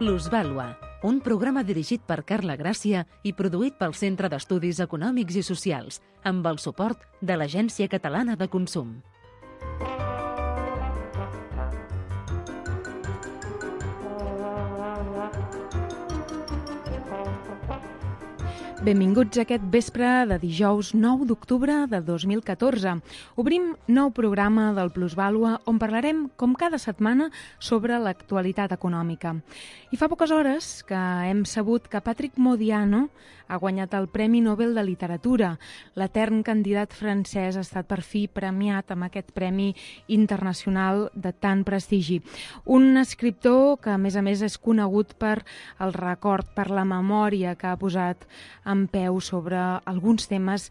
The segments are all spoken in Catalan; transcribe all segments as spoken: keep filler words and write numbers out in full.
Plusvàlua, un programa dirigit per Carla Gràcia i produït pel Centre d'Estudis Econòmics i Socials, amb el suport de l'Agència Catalana de Consum. Benvinguts a aquest vespre de dijous nou d'octubre de dos mil catorze. Obrim nou programa del Plusvàlua on parlarem, com cada setmana, sobre l'actualitat econòmica. I fa poques hores que hem sabut que Patrick Modiano ha guanyat el Premi Nobel de Literatura. L'etern candidat francès ha estat per fi premiat amb aquest premi internacional de tant prestigi. Un escriptor que, a més a més, és conegut per el record, per la memòria que ha posat en peu sobre alguns temes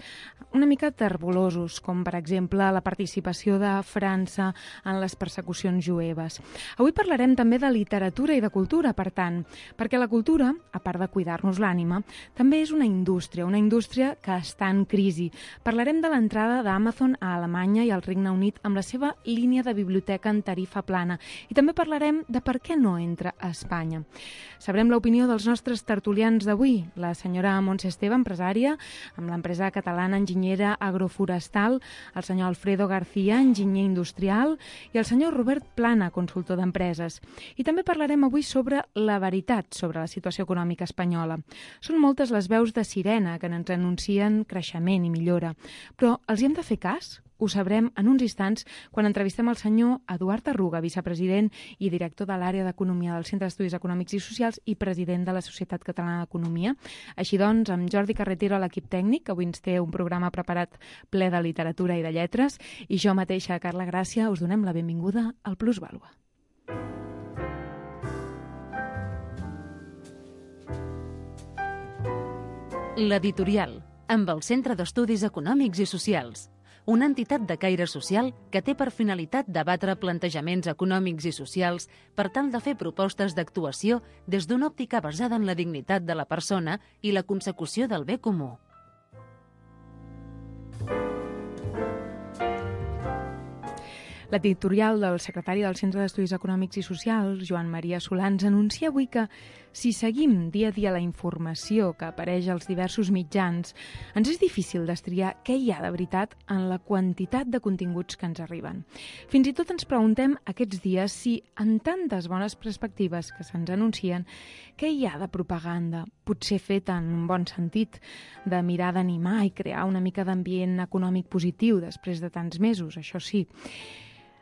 una mica terbollosos, com per exemple la participació de França en les persecucions jueves. Avui parlarem també de literatura i de cultura, per tant, perquè la cultura, a part de cuidar-nos l'ànima, també és una indústria, una indústria que està en crisi. Parlarem de l'entrada d'Amazon a Alemanya i al Regne Unit amb la seva línia de biblioteca en tarifa plana i també parlarem de per què no entra a Espanya. Sabrem l'opinió dels nostres tertulians d'avui, la senyora Montse Esteve, empresària, amb l'empresa catalana enginyera agroforestal, el senyor Alfredo García, enginyer industrial, i el senyor Robert Plana, consultor d'empreses. I també parlarem avui sobre la veritat sobre la situació econòmica espanyola. Són moltes les veus de sirena que ens anuncien creixement i millora, però els hi hem de fer cas? Ho sabrem en uns instants quan entrevistem el senyor Eduard Arruga, vicepresident i director de l'àrea d'Economia del Centre d'Estudis Econòmics i Socials i president de la Societat Catalana d'Economia. Així doncs, amb Jordi Carretero a l'equip tècnic, que avui ens té un programa preparat ple de literatura i de lletres, i jo mateixa, Carla Gràcia, us donem la benvinguda al Plusvàlua. L'editorial, amb el Centre d'Estudis Econòmics i Socials, una entitat de caire social que té per finalitat debatre plantejaments econòmics i socials per tal de fer propostes d'actuació des d'una òptica basada en la dignitat de la persona i la consecució del bé comú. L'editorial del secretari del Centre d'Estudis Econòmics i Socials, Joan Maria Solans, anuncia avui que si seguim dia a dia la informació que apareix als diversos mitjans, ens és difícil destriar què hi ha de veritat en la quantitat de continguts que ens arriben. Fins i tot ens preguntem aquests dies si, en tantes bones perspectives que se'ns anuncien, què hi ha de propaganda, potser feta en un bon sentit, de mirar d'animar i crear una mica d'ambient econòmic positiu després de tants mesos, això sí.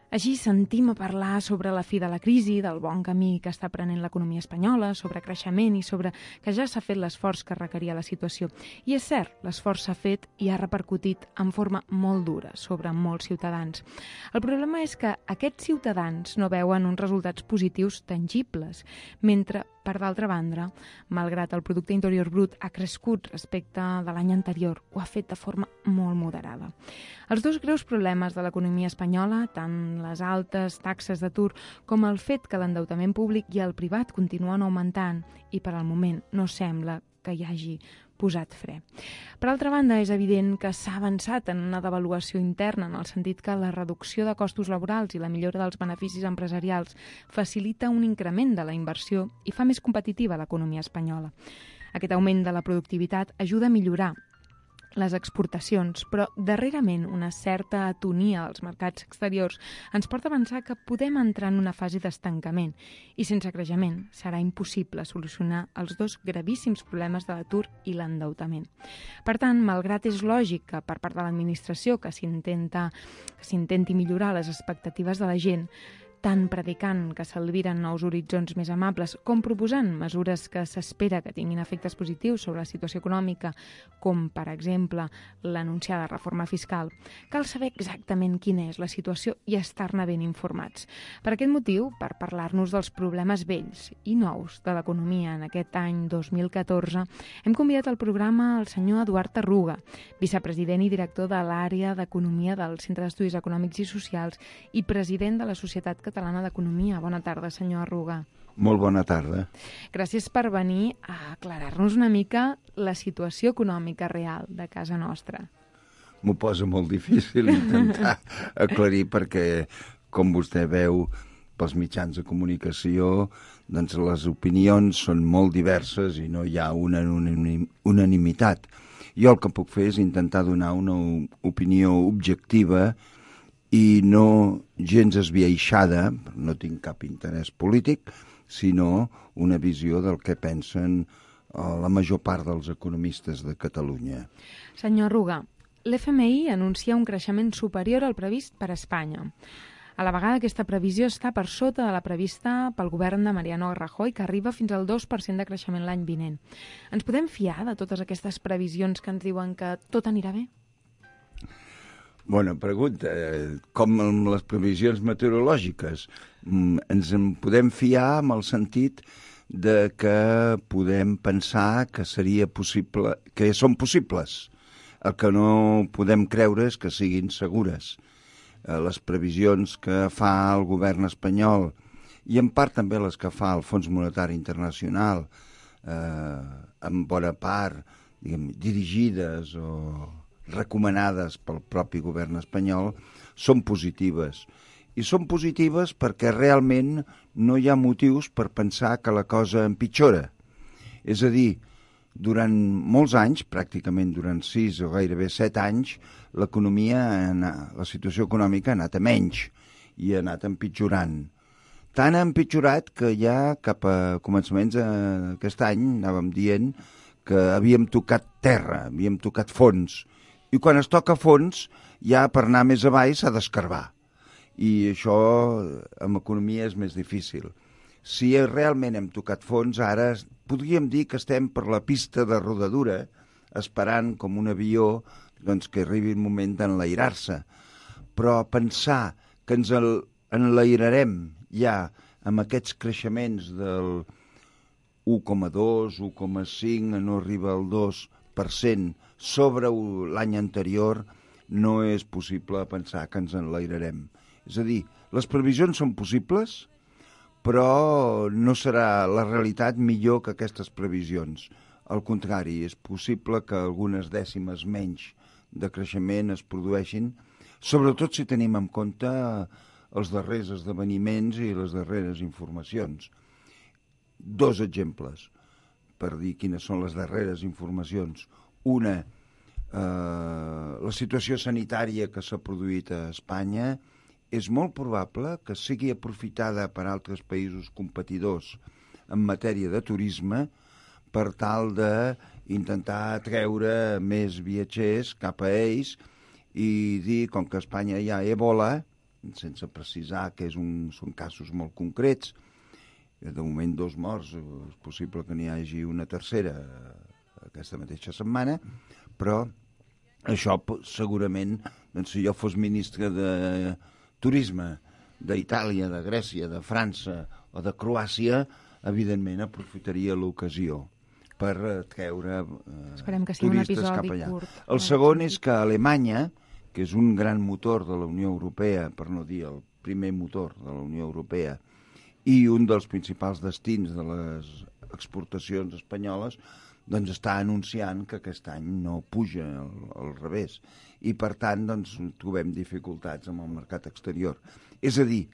Així sentim a parlar sobre la fi de la crisi, del bon camí que està prenent l'economia espanyola, sobre creixement i sobre que ja s'ha fet l'esforç que requeria la situació. I és cert, l'esforç s'ha fet i ha repercutit en forma molt dura sobre molts ciutadans. El problema és que aquests ciutadans no veuen uns resultats positius tangibles, mentre, per d'altra banda, malgrat el producte interior brut ha crescut respecte de l'any anterior, ho ha fet de forma molt moderada. Els dos greus problemes de l'economia espanyola, tant les altes taxes d'atur com el fet que l'endeutament públic i el privat continuen augmentant i per al moment no sembla que hi hagi posat fre. Per altra banda, és evident que s'ha avançat en una devaluació interna en el sentit que la reducció de costos laborals i la millora dels beneficis empresarials facilita un increment de la inversió i fa més competitiva l'economia espanyola. Aquest augment de la productivitat ajuda a millorar les exportacions, però darrerament una certa atonia als mercats exteriors ens porta a pensar que podem entrar en una fase d'estancament i sense creixement serà impossible solucionar els dos gravíssims problemes de l'atur i l'endeutament. Per tant, malgrat és lògic que per part de l'administració que s'intenta que s'intenti millorar les expectatives de la gent, tant predicant que s'albiren nous horitzons més amables com proposant mesures que s'espera que tinguin efectes positius sobre la situació econòmica, com, per exemple, l'anunciada reforma fiscal, cal saber exactament quina és la situació i estar-ne ben informats. Per aquest motiu, per parlar-nos dels problemes vells i nous de l'economia en aquest any dos mil catorze, hem convidat al programa el senyor Eduard Arruga, vicepresident i director de l'àrea d'Economia del Centre d'Estudis Econòmics i Socials i president de la Societat Catalana d'Economia. Bona tarda, senyor Arruga. Molt bona tarda. Gràcies per venir a aclarar-nos una mica la situació econòmica real de casa nostra. M'ho posa molt difícil intentar aclarir perquè, com vostè veu, pels mitjans de comunicació, doncs les opinions són molt diverses i no hi ha una unanimitat. Jo el que puc fer és intentar donar una opinió objectiva i no gens esbiaixada, no tinc cap interès polític, sinó una visió del que pensen la major part dels economistes de Catalunya. Senyor Arruga, l'F M I anuncia un creixement superior al previst per a Espanya. A la vegada aquesta previsió està per sota de la prevista pel govern de Mariano Rajoy, que arriba fins al dos per cent de creixement l'any vinent. Ens podem fiar de totes aquestes previsions que ens diuen que tot anirà bé? Bona pregunta. Com amb les previsions meteorològiques. Ens en podem fiar amb el sentit de que podem pensar que seria possible, que són possibles. El que no podem creure és que siguin segures. Les previsions que fa el govern espanyol i en part també les que fa el Fons Monetari Internacional, eh, en bona part diguem, dirigides o recomanades pel propi govern espanyol, són positives. I són positives perquè realment no hi ha motius per pensar que la cosa empitjora. És a dir, durant molts anys, pràcticament durant sis o gairebé set anys, l'economia, la situació econòmica ha anat a menys i ha anat empitjorant. Tant ha empitjorat que ja cap a començaments d'aquest any anàvem dient que havíem tocat terra, havíem tocat fons. I quan es toca fons, ja per anar més avall s'ha d'escarbar. I això amb economia és més difícil. Si realment hem tocat fons, ara podríem dir que estem per la pista de rodadura, esperant com un avió doncs, que arribi el moment d'enlairar-se. Però pensar que ens enlairarem ja amb aquests creixements del u coma dos, u coma cinc, no arriba al dos per cent sobre l'any anterior, no és possible pensar que ens enlairarem. És a dir, les previsions són possibles, però no serà la realitat millor que aquestes previsions. Al contrari, és possible que algunes dècimes menys de creixement es produeixin, sobretot si tenim en compte els darrers esdeveniments i les darreres informacions. Dos exemples per dir quines són les darreres informacions. Una, eh, la situació sanitària que s'ha produït a Espanya és molt probable que sigui aprofitada per altres països competidors en matèria de turisme per tal d'intentar atreure més viatgers cap a ells i dir, com que a Espanya hi ha Ebola, sense precisar que és un, són casos molt concrets, de moment dos morts, és possible que n'hi hagi una tercera aquesta mateixa setmana, però això segurament, doncs, si jo fos ministre de Turisme d'Itàlia, de Grècia, de França o de Croàcia, evidentment aprofitaria l'ocasió per treure eh, turistes cap allà. Curt, el segon és que Alemanya, que és un gran motor de la Unió Europea, per no dir el primer motor de la Unió Europea, i un dels principals destins de les exportacions espanyoles, doncs està anunciant que aquest any no puja al, al revés. I, per tant, doncs, trobem dificultats amb el mercat exterior. És a dir,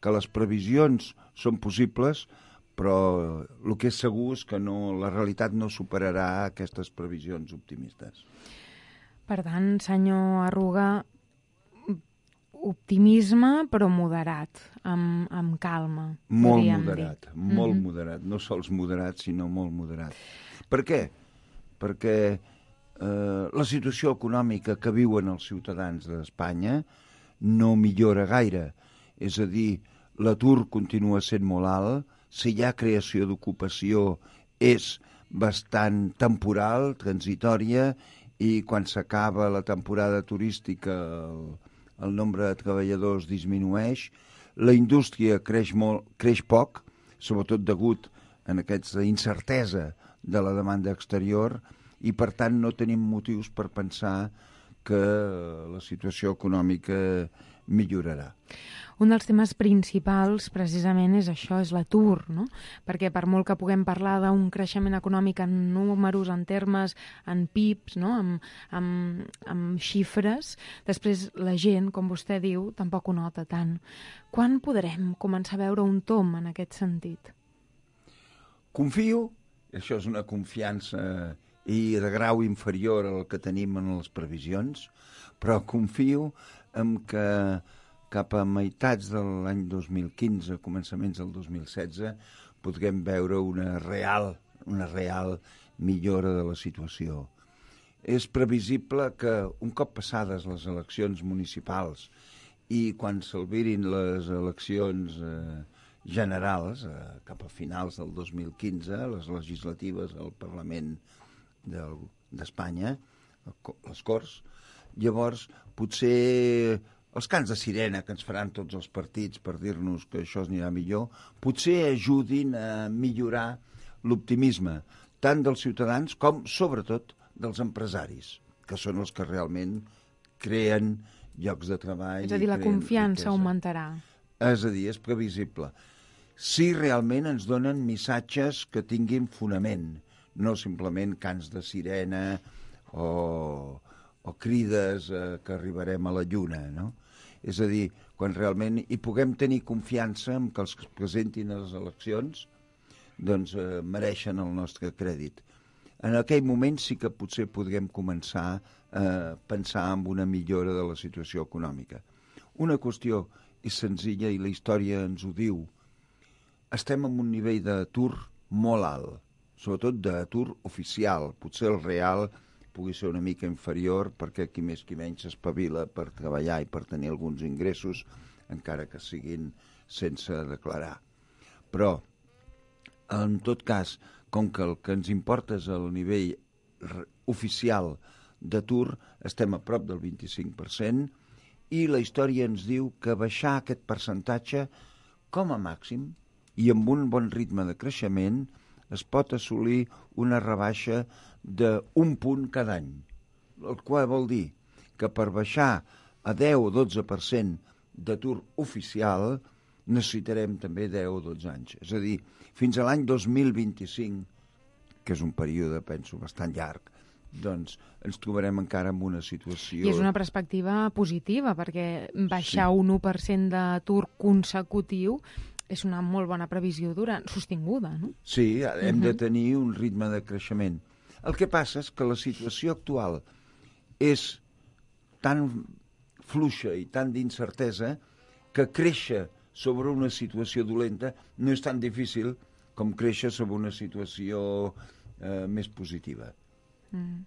que les previsions són possibles, però el que és segur és que no, la realitat no superarà aquestes previsions optimistes. Per tant, senyor Arruga, optimisme però moderat, amb, amb calma. Molt moderat, dir. molt mm-hmm. moderat. No sols moderat, sinó molt moderat. Per què? Perquè eh, la situació econòmica que viuen els ciutadans d'Espanya no millora gaire. És a dir, l'atur continua sent molt alt, si hi ha creació d'ocupació és bastant temporal, transitòria, i quan s'acaba la temporada turística el, el nombre de treballadors disminueix, la indústria creix, molt, creix poc, sobretot degut a aquesta incertesa de la demanda exterior, i per tant no tenim motius per pensar que la situació econòmica millorarà. Un dels temes principals, precisament, és això, és l'atur, no? Perquè per molt que puguem parlar d'un creixement econòmic en números, en termes, en P I Bs, no? amb, amb, amb xifres, després la gent, com vostè diu, tampoc ho nota tant. Quan podrem començar a veure un tom en aquest sentit? Confio, això és una confiança i de grau inferior al que tenim en les previsions, però confio en que cap a meitats de l'any dos mil quinze, començaments del dos mil setze, podrem veure una real, una real millora de la situació. És previsible que un cop passades les eleccions municipals i quan s'albirin les eleccions eh, generals, eh, cap a finals del dos mil quinze, les legislatives al Parlament d'Espanya, les Corts, llavors potser els cants de sirena que ens faran tots els partits per dir-nos que això anirà millor, potser ajudin a millorar l'optimisme tant dels ciutadans com, sobretot, dels empresaris, que són els que realment creen llocs de treball. És a dir, la confiança augmentarà. És a dir, és previsible. Si realment ens donen missatges que tinguin fonament, no simplement cants de sirena o, o crides eh, que arribarem a la lluna, no? És a dir, quan realment hi puguem tenir confiança en que els que es presentin a les eleccions doncs eh, mereixen el nostre crèdit. En aquell moment sí que potser podrem començar a pensar en una millora de la situació econòmica. Una qüestió és senzilla i la història ens ho diu. Estem en un nivell d'atur molt alt, sobretot d'atur oficial, potser el real pugui ser una mica inferior perquè qui més qui menys s'espavila per treballar i per tenir alguns ingressos, encara que siguin sense declarar. Però, en tot cas, com que el que ens importa és el nivell oficial d'atur, estem a prop del vint-i-cinc per cent i la història ens diu que baixar aquest percentatge com a màxim i amb un bon ritme de creixement es pot assolir una rebaixa d'un punt cada any, el qual vol dir que per baixar a deu o dotze per cent d'atur oficial necessitarem també deu o dotze anys. És a dir, fins a l'any dos mil vint-i-cinc, que és un període, penso, bastant llarg, doncs ens trobarem encara en una situació... I és una perspectiva positiva, perquè baixar sí. un u per cent d'atur consecutiu és una molt bona previsió durant, sostinguda, no? Sí, hem uh-huh. de tenir un ritme de creixement. El que passa és que la situació actual és tan fluixa i tan d'incertesa que créixer sobre una situació dolenta no és tan difícil com créixer sobre una situació eh, més positiva. Mm.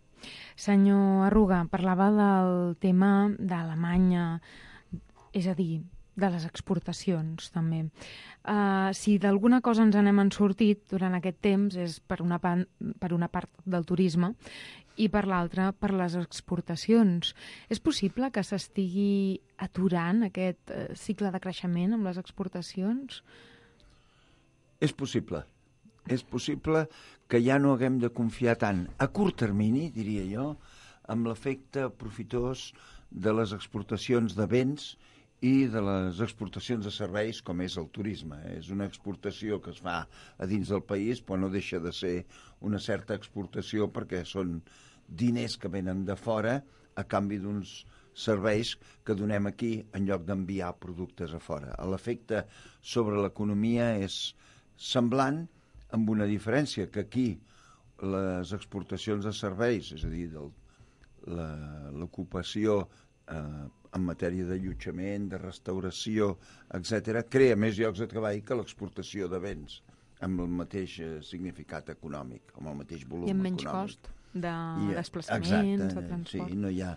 Senyor Arruga, parlava del tema d'Alemanya, és a dir, de les exportacions, també. Uh, si d'alguna cosa ens n'hem sortit durant aquest temps és per una, pan, per una part del turisme i per l'altra per les exportacions. És possible que s'estigui aturant aquest uh, cicle de creixement amb les exportacions? És possible. És possible que ja no haguem de confiar tant a curt termini, diria jo, amb l'efecte profitós de les exportacions de béns i de les exportacions de serveis com és el turisme. És una exportació que es fa a dins del país, però no deixa de ser una certa exportació perquè són diners que venen de fora a canvi d'uns serveis que donem aquí en lloc d'enviar productes a fora. L'efecte sobre l'economia és semblant, amb una diferència, que aquí les exportacions de serveis, és a dir, del, la, l'ocupació eh, en matèria d'allotjament, de restauració, etcètera, crea més llocs de treball que l'exportació de béns, amb el mateix significat econòmic, amb el mateix volum econòmic. I amb menys econòmic. Cost de I, desplaçaments, exacte, de transport. Sí, no hi ha,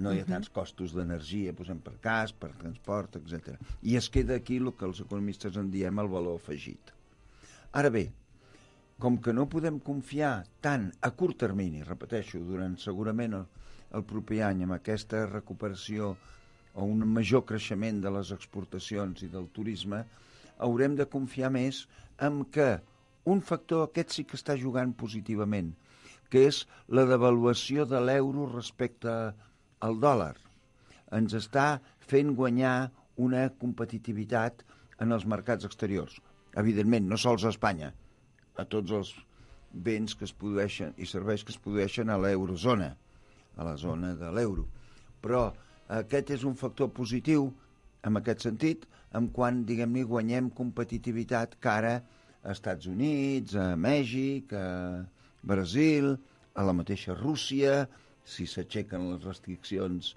no hi ha uh-huh. tants costos d'energia, posem per cas, per transport, etcètera. I es queda aquí el que els economistes en diem el valor afegit. Ara bé, com que no podem confiar tant a curt termini, repeteixo, durant segurament el, el proper any amb aquesta recuperació o un major creixement de les exportacions i del turisme, haurem de confiar més en que un factor aquest sí que està jugant positivament, que és la devaluació de l'euro respecte al dòlar. ens està fent guanyar una competitivitat en els mercats exteriors. Evidentment, no sols a Espanya, a tots els béns que es produeixen i serveis que es produeixen a l'eurozona, a la zona de l'euro. Però aquest és un factor positiu en aquest sentit, en quan, diguem-ne, guanyem competitivitat cara a Estats Units, a Mèxic, a Brasil, a la mateixa Rússia, si s'aixequen les restriccions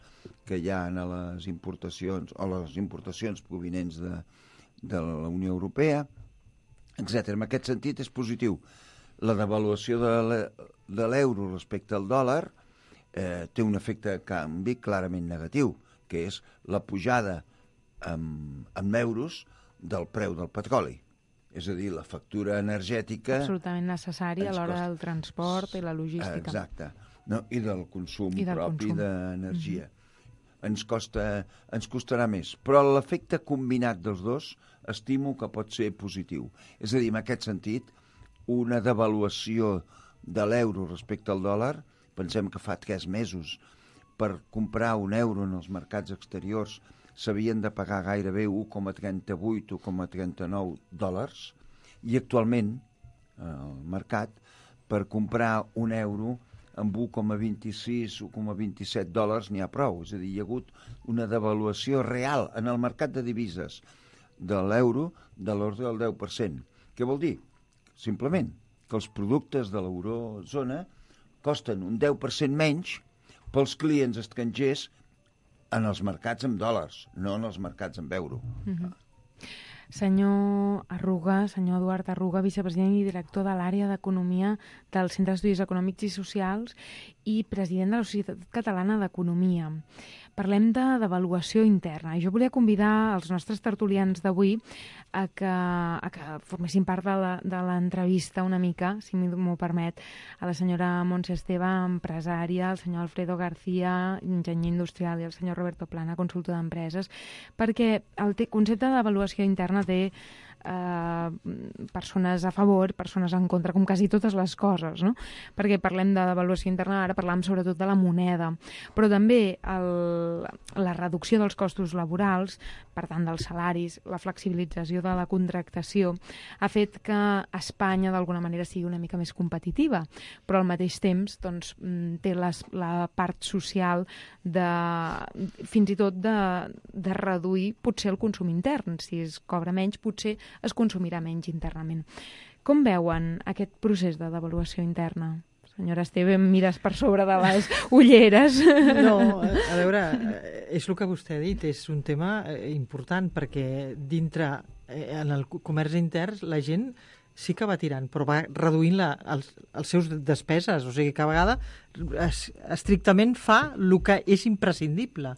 que hi ha a les importacions o les importacions provinents de, de la Unió Europea, etcètera. En aquest sentit és positiu. La devaluació de l'euro respecte al dòlar eh, té un efecte de canvi clarament negatiu, que és la pujada en, en euros del preu del petroli. És a dir, la factura energètica... Absolutament necessària a l'hora del transport i la logística. Exacte. No? I del consum I del propi consum. d'energia. Mm-hmm. Ens costa, ens costarà més. Però l'efecte combinat dels dos estimo que pot ser positiu. És a dir, en aquest sentit, una devaluació de l'euro respecte al dòlar, pensem que fa tres mesos per comprar un euro en els mercats exteriors s'havien de pagar gairebé un coma trenta-vuit, un coma trenta-nou dòlars, i actualment al mercat per comprar un euro amb un coma vint-i-sis, un coma vint-i-set dòlars n'hi ha prou. És a dir, hi ha hagut una devaluació real en el mercat de divises de l'euro de l'ordre del deu per cent. Què vol dir? Simplement que els productes de l'eurozona costen un deu per cent menys pels clients estrangers en els mercats en dòlars, no en els mercats en euro. Mm-hmm. Senyor Arruga, senyor Eduard Arruga, vicepresident i director de l'àrea d'Economia del Centre d'Estudis Econòmics i Socials i president de la Societat Catalana d'Economia. Parlem de devaluació interna. Jo volia convidar els nostres tertulians d'avui a que, a que formessin part de l'entrevista una mica, si m'ho permet, a la senyora Montse Esteve, empresària, el senyor Alfredo García, enginyer industrial, i el senyor Roberto Plana, consultor d'empreses, perquè el concepte de devaluació interna té Uh, persones a favor, persones en contra, com quasi totes les coses, no? Perquè parlem de devaluació interna, ara parlem sobretot de la moneda, però també el, la reducció dels costos laborals, per tant dels salaris, la flexibilització de la contractació, ha fet que Espanya d'alguna manera sigui una mica més competitiva, però al mateix temps doncs, té les, la part social de, fins i tot de, de reduir potser el consum intern. Si es cobra menys, potser es consumirà menys internament. Com veuen aquest procés de devaluació interna? Senyora Esteve, em mires per sobre de les ulleres. No, a veure, és el que vostè ha dit, és un tema important perquè dintre, en el comerç intern, la gent sí que va tirant, però va reduint la, els, els seus despeses, o sigui, cada vegada es, estrictament fa el que és imprescindible,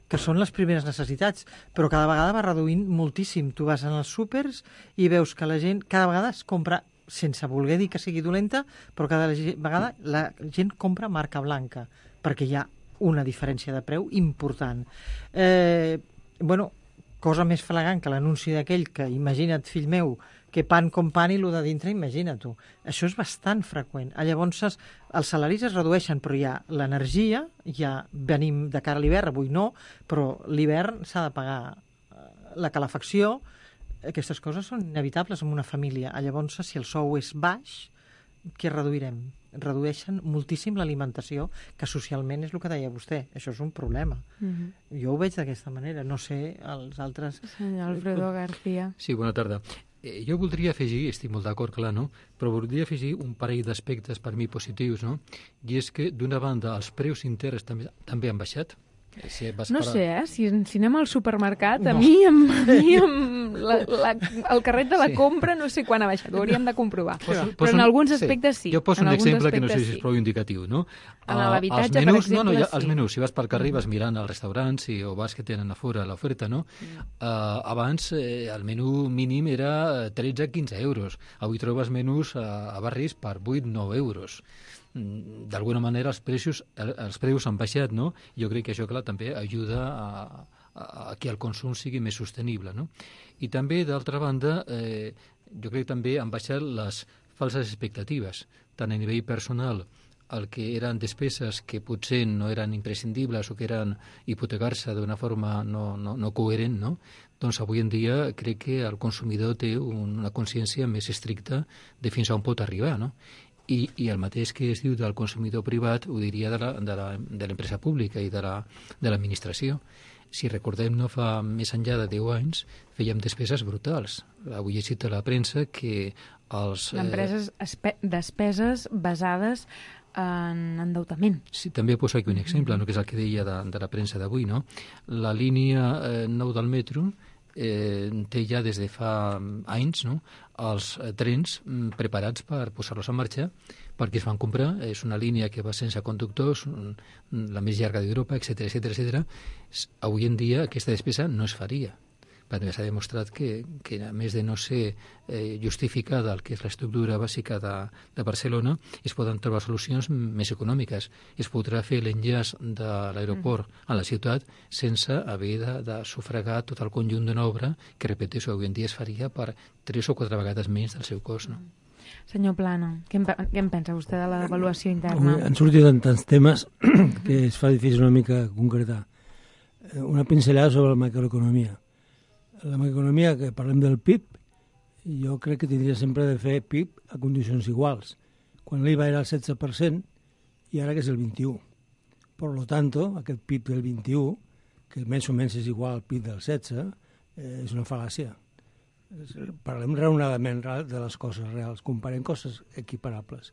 que són les primeres necessitats, però cada vegada va reduint moltíssim. Tu vas als súpers i veus que la gent cada vegada es compra, sense voler dir que sigui dolenta, però cada vegada la gent compra marca blanca, perquè hi ha una diferència de preu important. Eh, bueno, cosa més flagrant que l'anunci d'aquell que, imagina't, fill meu, que pan com pan i el de dintre, imagina't-ho. Això és bastant freqüent. Llavors, els salaris es redueixen, però hi ha l'energia, ja venim de cara a l'hivern, avui no, però l'hivern s'ha de pagar la calefacció. Aquestes coses són inevitables en una família. Llavors, si el sou és baix, què reduirem? Redueixen moltíssim l'alimentació, que socialment és el que deia vostè. Això és un problema. Mm-hmm. Jo ho veig d'aquesta manera. No sé, els altres... Senyor Alfredo García. Sí, bona tarda. Eh, jo voldria afegir, estic molt d'acord, clar, no? Però voldria afegir un parell d'aspectes per mi positius, no? I és que, d'una banda, els preus interns també, també han baixat. Si vas no parar... sé, eh? Si, si anem al supermercat, no. a mi, amb, a mi amb la, la, el carret de la sí. compra no sé quan ha baixat, ho hauríem de comprovar. Poso, poso, però en alguns aspectes sí. Jo poso en un exemple que no sé si és sí. prou indicatiu, no? En l'habitatge, per menús, exemple, no, no, ja, sí. Els menús, si vas pel carrer vas mirant als restaurants i, o vas que tenen a fora l'oferta, no? Mm. Uh, abans eh, el menú mínim era tretze a quinze euros. Avui trobes menús a, a barris per vuit a nou euros. D'alguna manera els preus, els preus han baixat, no? Jo crec que això, clar, també ajuda a, a, a que el consum sigui més sostenible, no? I també, d'altra banda, eh, jo crec que també han baixat les falses expectatives, tant a nivell personal el que eren despeses que potser no eren imprescindibles o que eren hipotecar-se d'una forma no, no, no coherent, no? Doncs avui en dia crec que el consumidor té una consciència més estricta de fins a on pot arribar, no? I, i el mateix que es diu del consumidor privat ho diria de la- de la- de l'empresa pública i de la- de l'administració. Si recordem, no fa més enllà de deu anys, fèiem despeses brutals. Avui he llegit a la premsa que els... eh, D'empreses, espe- despeses basades en endeutament. Sí, també poso aquí un exemple, no, que és el que deia de, de la premsa d'avui, no? La línia eh, nou del metro eh, té ja des de fa anys, no?, els eh, trens mm, preparats per posar-los en marxa perquè es van comprar. És una línia que va sense conductors, mm, la més llarga d'Europa, etcètera, etcètera, etcètera. S- Avui en dia aquesta despesa no es faria, perquè s'ha demostrat que, que a més de no ser eh, justificada el que és l'estructura bàsica de, de Barcelona, es poden trobar solucions més econòmiques. Es podrà fer l'enllaç de l'aeroport a la ciutat sense haver de, de sufragar tot el conjunt d'una obra que, repeteixo, avui en dia es faria per tres o quatre vegades menys del seu cost, no? Senyor Plana, què en, pe- què en pensa vostè de l'avaluació Avui interna? han sortit en tants temes que es fa difícil una mica concretar. Eh, Una pinzellada sobre la macroeconomia. La macroeconomia, que parlem del P I B, jo crec que tindria sempre de fer P I B a condicions iguals. Quan l'I V A era el setze per cent i ara que és el vint-i-u. Per lo tanto, aquest P I B del vint-i-u, que més o menys és igual al P I B del setze, eh, és una fal·làcia. És- Parlem raonadament ra- de les coses reals, comparem coses equiparables.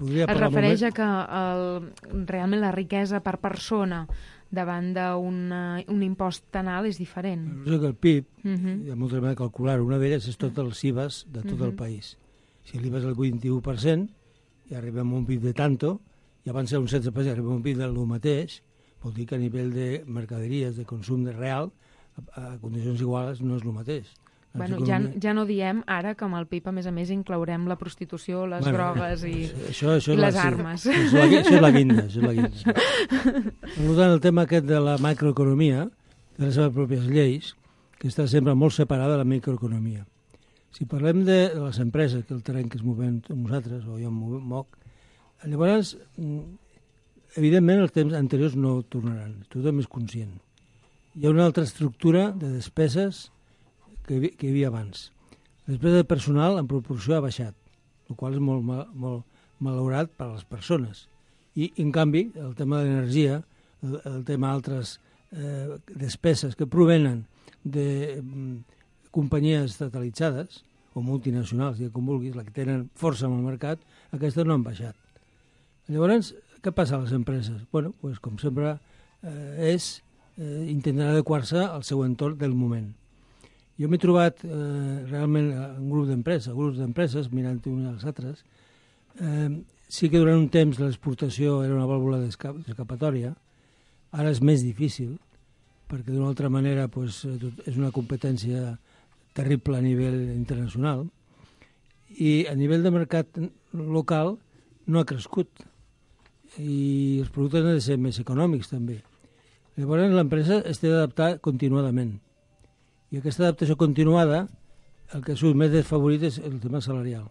Podria Es parlar molt refereix més- a que el, realment la riquesa per persona davant d'un un impost tan alt és diferent. Suposo que el P I B, Mhm. hi ha molta manera de calcular, una d'elles és tot els I V As de tot el Mhm. país. Si l'I V A és el vint-i-u per cent i arribem a un P I B de tanto, i abans era un setze per cent i arribem a un P I B del mateix, vol dir que a nivell de mercaderies, de consum de real, a, a condicions iguals no és el mateix. La Bueno, ja, economia- ja no diem ara que amb el P I B, a més a més, inclourem la prostitució, les Bueno, drogues i, això, això i és la- les sí, armes. Això és la, això és la guinda. Això és la guinda. Per tant, el tema aquest de la macroeconomia, de les seves pròpies lleis, que està sempre molt separada de la microeconomia. Si parlem de les empreses, que el terreny que es movem nosaltres, o jo em move- moc, llavors, mm, evidentment, els temps anteriors no tornaran. Tothom és conscient. Hi ha una altra estructura de despeses que, hi havia- que hi havia abans. La despesa de personal en proporció ha baixat, el qual és molt, mal- molt malaurat per a les persones. I, en canvi, el tema de l'energia, el, el tema d'altres eh, despeses que provenen de mm, companyies estatalitzades o multinacionals, ja com vulguis, la que tenen força en el mercat, aquestes no han baixat. Llavors, què passa a les empreses? Bueno, pues, com sempre, eh, és eh, intentar adequar-se al seu entorn del moment. Jo m'he trobat eh, realment un grup d'empreses, grups d'empreses, mirant unes als altres. Eh, sí que durant un temps l'exportació era una vàlvula d'esca- d'escapatòria, ara és més difícil, perquè d'una altra manera pues, eh, tot- és una competència terrible a nivell internacional, i a nivell de mercat local no ha crescut, i els productes han de ser més econòmics també. Llavors l'empresa es té d'adaptar continuadament. I aquesta adaptació continuada, el que surt més desfavorit és el tema salarial.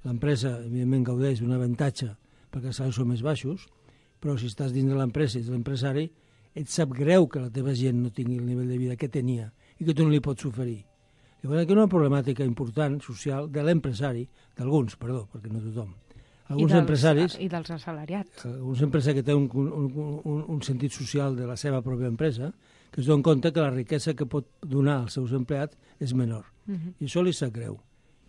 L'empresa, evidentment, gaudeix d'un avantatge perquè els salaris són més baixos, però si estàs dins de l'empresa i ets l'empresari, et sap greu que la teva gent no tingui el nivell de vida que tenia i que tu no li pots oferir. Llavors aquí hi ha una problemàtica important, social, de l'empresari, d'alguns, perdó, perquè no tothom. Alguns I dels, empresaris... I dels assalariats. Alguns empresaris que tenen un, un, un, un sentit social de la seva pròpia empresa, que es donen compte que la riquesa que pot donar als seus empleats és menor. Uh -huh. I això li sap greu.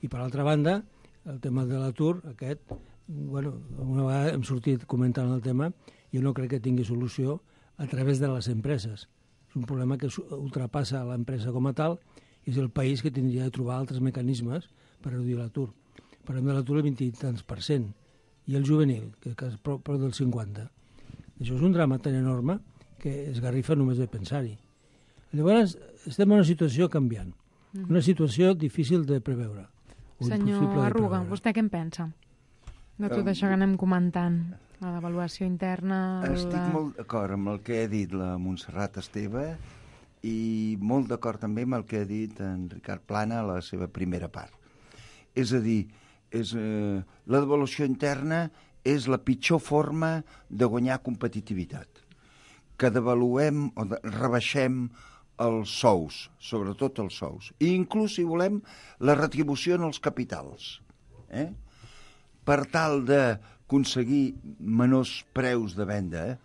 I per altra banda, el tema de l'atur, aquest, bueno, una vegada hem sortit comentant el tema, jo no crec que tingui solució a través de les empreses. És un problema que ultrapassa l'empresa com a tal i és el país que tindria de trobar altres mecanismes per reduir l'atur. Parlem de l'atur del vint i tants per cent, i el juvenil, que és prop, prop del cinquanta. Això és un drama tan enorme que es garrifa només de pensar-hi. Llavors, estem en una situació canviant, una situació difícil de preveure. o impossible Senyor de Arruga, preveure. vostè què en pensa de tot això que anem comentant? La devaluació interna... Estic la... molt d'acord amb el que ha dit la Montserrat Esteve i molt d'acord també amb el que ha dit en Ricard Plana a la seva primera part. És a dir, és, eh, la devaluació interna és la pitjor forma de guanyar competitivitat. Que devaluem o de, rebaixem els sous, sobretot els sous. I inclús, si volem, la retribució en els capitals. Eh? Per tal d'aconseguir menors preus de venda, eh?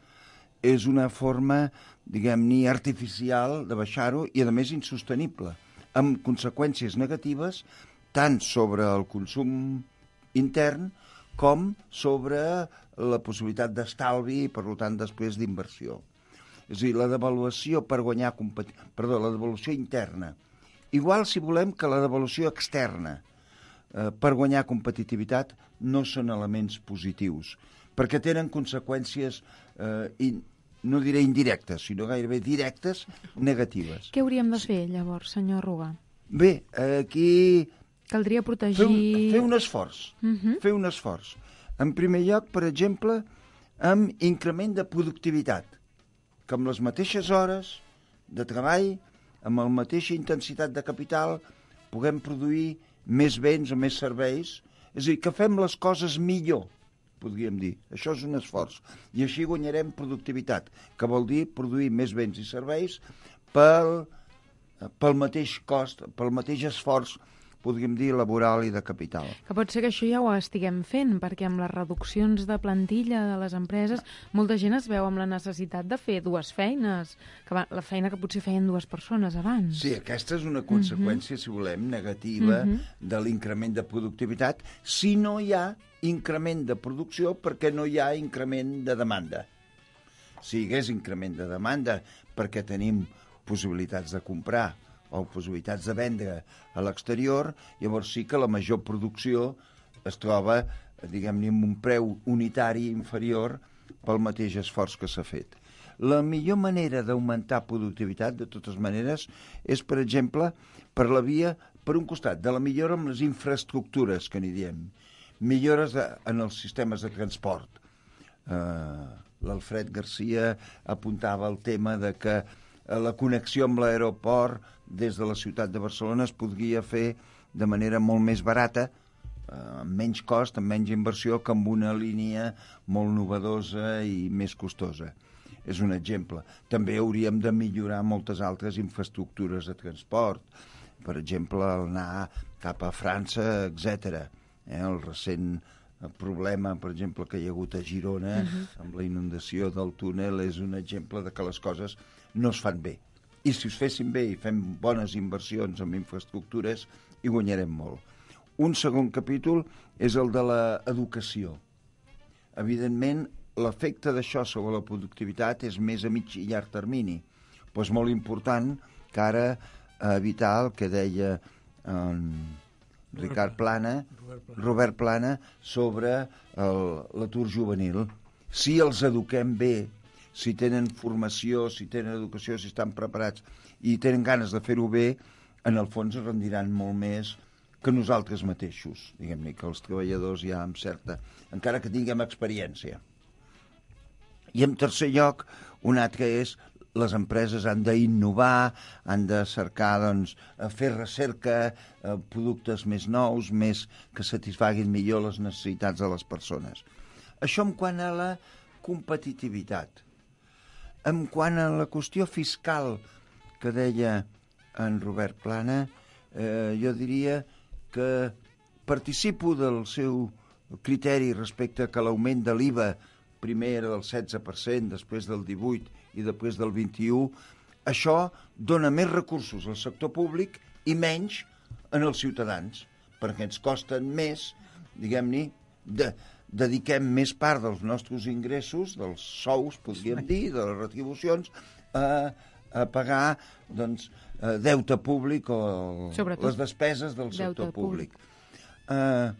És una forma, diguem-ne, artificial de baixar-ho i, a més, insostenible, amb conseqüències negatives tant sobre el consum intern com sobre la possibilitat d'estalvi i, per tant, després d'inversió. És a dir, la devaluació per guanyar competi... Perdó, la devaluació interna. Igual, si volem, que la devaluació externa eh, per guanyar competitivitat no són elements positius, perquè tenen conseqüències, eh, in... no diré indirectes, sinó gairebé directes, negatives. Què hauríem de fer, llavors, senyor Ruga? Bé, aquí... Caldria protegir... Fer un, fer un esforç. Uh -huh. Fer un esforç. En primer lloc, per exemple, amb increment de productivitat, que amb les mateixes hores de treball, amb la mateixa intensitat de capital, puguem produir més béns o més serveis. És a dir, que fem les coses millor, podríem dir. Això és un esforç. I així guanyarem productivitat, que vol dir produir més béns i serveis pel, pel mateix cost, pel mateix esforç, podríem dir, laboral i de capital. Que pot ser que això ja ho estiguem fent, perquè amb les reduccions de plantilla de les empreses, molta gent es veu amb la necessitat de fer dues feines, que va, la feina que potser feien dues persones abans. Sí, aquesta és una conseqüència, uh-huh. si volem, negativa uh-huh. de l'increment de productivitat, si no hi ha increment de producció perquè no hi ha increment de demanda. Si hi hagués increment de demanda perquè tenim possibilitats de comprar o possibilitats de vendre a l'exterior, llavors sí que la major producció es troba, diguem-ne, amb un preu unitari inferior pel mateix esforç que s'ha fet. La millor manera d'augmentar productivitat, de totes maneres, és, per exemple, per la via, per un costat, de la millora amb les infraestructures, que n'hi diem, millores de, en els sistemes de transport. Uh, L'Alfred Garcia apuntava el tema de que la connexió amb l'aeroport des de la ciutat de Barcelona es podria fer de manera molt més barata, amb menys cost, amb menys inversió, que amb una línia molt novedosa i més costosa. És un exemple. També hauríem de millorar moltes altres infraestructures de transport, per exemple, anar cap a França, etcètera. Eh, el recent problema, per exemple, que hi ha hagut a Girona, uh-huh. amb la inundació del túnel, és un exemple de que les coses no es fan bé. I si es fessin bé i fem bones inversions en infraestructures, hi guanyarem molt. Un segon capítol és el de l'educació. Evidentment, l'efecte d'això sobre la productivitat és més a mig i llarg termini, però és molt important que ara evitar el que deia en Ricard Plana, Robert Plana, sobre l'atur juvenil. Si els eduquem bé, si tenen formació, si tenen educació, si estan preparats i tenen ganes de fer-ho bé, en el fons es rendiran molt més que nosaltres mateixos, diguem-ne, que els treballadors ja amb certa, encara que tinguem experiència. I en tercer lloc, un altre és les empreses han d'innovar, han de cercar, doncs, fer recerca, eh, productes més nous, més que satisfaguin millor les necessitats de les persones. Això en quant a la competitivitat. En quant a la qüestió fiscal que deia en Robert Plana, eh, jo diria que participo del seu criteri respecte que l'augment de l'I V A primer era del setze per cent, després del divuit per cent i després del vint-i-u, això dona més recursos al sector públic i menys en els ciutadans, perquè ens costen més, diguem-ne, de, dediquem més part dels nostres ingressos, dels sous, podríem dir, de les retribucions, a, a pagar, doncs, deute públic o Sobretot, les despeses del sector públic. públic. Uh,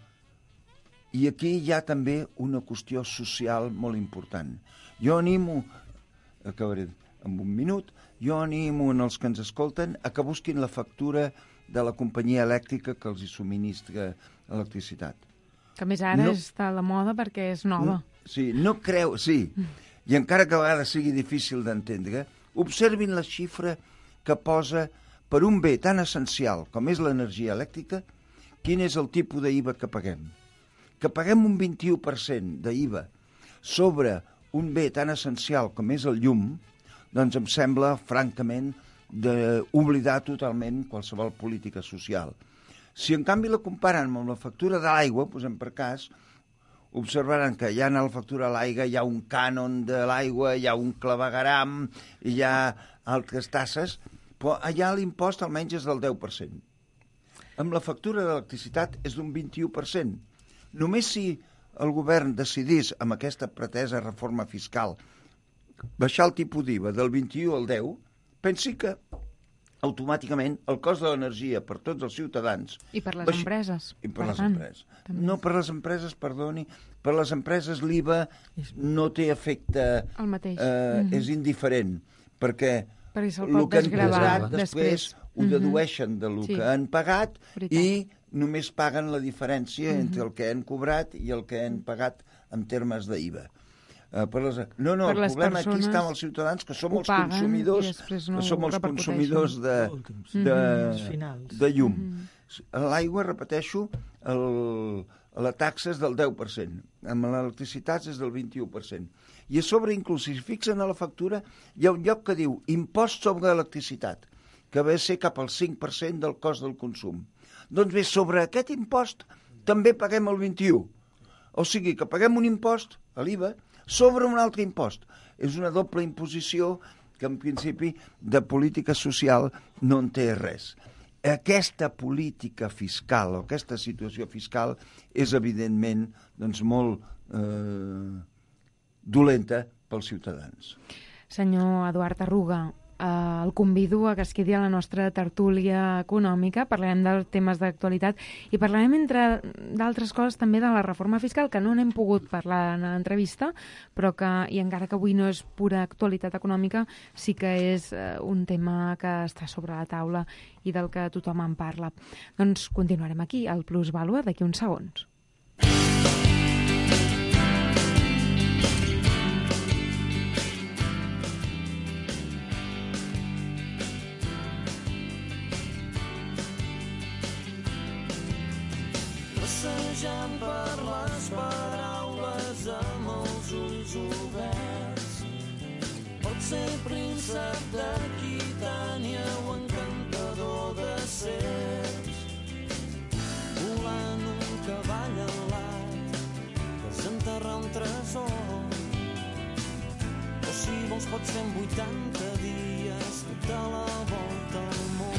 I aquí hi ha també una qüestió social molt important. Jo animo, acabaré en un minut, jo animo en els que ens escolten a que busquin la factura de la companyia elèctrica que els hi subministra electricitat. Que més ara no, està a la moda perquè és nova. No, sí, no creu, sí. I encara que a vegades sigui difícil d'entendre, observin la xifra que posa per un bé tan essencial com és l'energia elèctrica, quin és el tipus d'I V A que paguem. Que paguem un vint-i-u per cent d'I V A sobre un bé tan essencial com és el llum, doncs em sembla, francament, d'oblidar totalment qualsevol política social. Si en canvi la comparen amb la factura de l'aigua, posem per cas, observaran que ja en la factura de l'aigua hi ha un cànon de l'aigua, hi ha un clavegueram, hi ha altres tasses, però allà l'impost almenys és del deu per cent. Amb la factura d'electricitat és d'un vint-i-u per cent. Només si el govern decidís, amb aquesta pretesa reforma fiscal, baixar el tipus d'I V A del vint-i-u al deu, pensi que automàticament el cost de l'energia per tots els ciutadans... I per les baix... empreses. I per, per les tant, empreses. també. No, per les empreses, perdoni, per les empreses l'I V A no té efecte... El mateix. Eh, Mm-hmm. És indiferent, perquè Perquè se'l el pot que han desgravar posat després. després ho Mhm. dedueixen del Sí. que han pagat Veritat. i només paguen la diferència Mhm. entre el que han cobrat i el que han pagat en termes d'I V A. Uh, per les... No, no, Per el les problema aquí persones està amb els ciutadans, que som ho els paguen consumidors, i després no que som ho els repercuteixen. consumidors de, Últims. de, Els finals. de llum. Mhm. L'aigua, repeteixo, el, la taxa és del deu per cent, amb l'electricitat és del vint-i-u per cent. I a sobre, inclús, si fixen a la factura, hi ha un lloc que diu impost sobre electricitat, que ve a ser cap al cinc per cent del cost del consum. Doncs bé, sobre aquest impost també paguem el vint-i-u. O sigui, que paguem un impost, l'I V A, sobre un altre impost. És una doble imposició que, en principi, de política social no en té res. Aquesta política fiscal o aquesta situació fiscal és, evidentment, doncs, molt eh, dolenta pels ciutadans. Senyor Eduard Arruga, eh, el convido a que es quedi a la nostra tertúlia econòmica. Parlarem dels temes d'actualitat i parlarem, entre d'altres coses, també de la reforma fiscal, que no n'hem pogut parlar en l'entrevista, però que, i encara que avui no és pura actualitat econòmica, sí que és eh, un tema que està sobre la taula i del que tothom en parla. Doncs continuarem aquí, al Plus Vàlua, d'aquí uns segons. Passejant per les paraules amb els ulls oberts. Pot ser príncep d'Aquitània o encantador de serps. Volant un cavall alat que s'enterra un tresor. O si vols pots fer en vuitanta dies de la volta al món.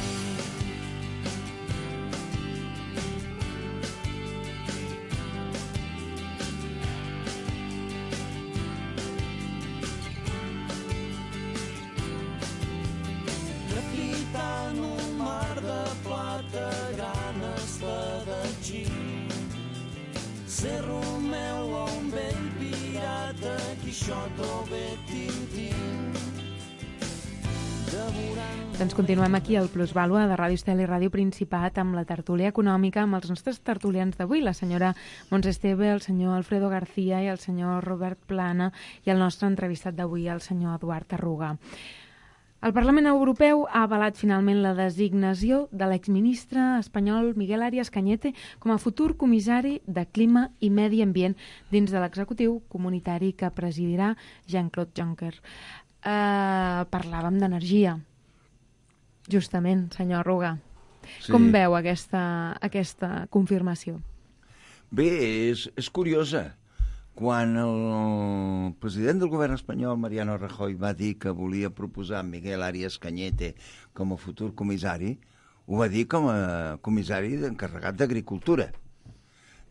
En un mar de plata, gran espadatxí. Ser Romeu o un vell pirata, Quixot o bé Tintín. Devorant... Doncs continuem aquí al Plus Vàlua de Ràdio Estel i Ràdio Principat amb la tertúlia econòmica, amb els nostres tertulians d'avui, la senyora Montse Esteve, el senyor Alfredo García i el senyor Robert Plana, i el nostre entrevistat d'avui, el senyor Eduard Arruga. El Parlament Europeu ha avalat finalment la designació de l'exministre espanyol Miguel Arias Cañete com a futur comissari de Clima i Medi Ambient dins de l'executiu comunitari que presidirà Jean-Claude Juncker. Uh, parlàvem d'energia, justament, senyor Arruga. Sí. Com veu aquesta, aquesta confirmació? Bé, és, és curiosa. Quan el president del govern espanyol, Mariano Rajoy, va dir que volia proposar Miguel Arias Cañete com a futur comissari, ho va dir com a comissari encarregat d'Agricultura.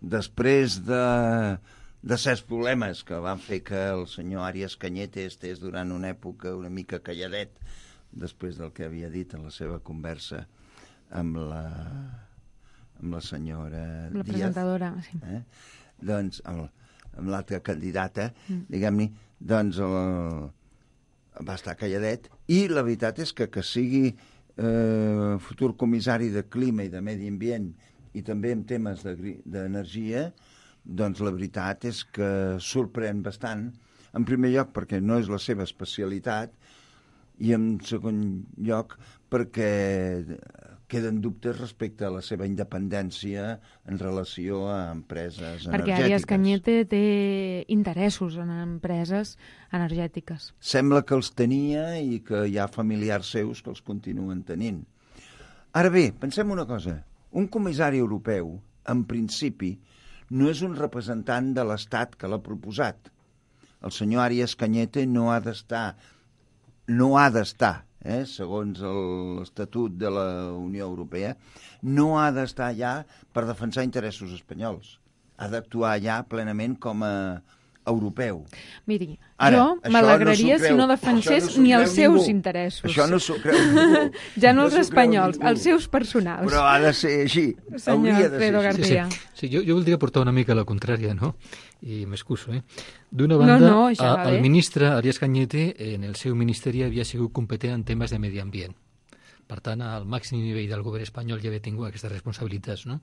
Després de, de certs problemes que van fer que el senyor Arias Cañete estés durant una època una mica calladet, després del que havia dit en la seva conversa amb la, amb la senyora La Díaz. presentadora, sí. Eh? Doncs, amb, amb l'altra candidata, Mm. diguem-ne, doncs el, va estar calladet, i la veritat és que que sigui eh, futur comissari de Clima i de Medi Ambient i també en temes d'energia, doncs la veritat és que sorprèn bastant, en primer lloc perquè no és la seva especialitat, i en segon lloc perquè queden dubtes respecte a la seva independència en relació a empreses Perquè energètiques. Arias Cañete té interessos en empreses energètiques. Sembla que els tenia i que hi ha familiars seus que els continuen tenint. Ara bé, pensem una cosa. Un comissari europeu, en principi, no és un representant de l'Estat que l'ha proposat. El senyor Arias Cañete no ha d'estar, no ha d'estar, eh, segons l'Estatut de la Unió Europea, no ha d'estar allà per defensar interessos espanyols. Ha d'actuar allà plenament com a europeu. Miri, Ara, jo m'alegraria no si no defensés no ni els seus ningú. interessos. Això no s'ho creu ningú. Ja no els s'ho creu espanyols, ningú. els seus personals. Però ha de ser així. Senyor Hauria de ser Alfredo així. García. Sí, sí. sí jo, jo voldria portar una mica la contrària, no? I m'excuso, eh? D'una No, banda, no, això a, va el bé. ministre Arias Cañete en el seu ministeri havia sigut competent en temes de medi ambient. Per tant, al màxim nivell del govern espanyol ja havia tingut aquestes responsabilitats, no?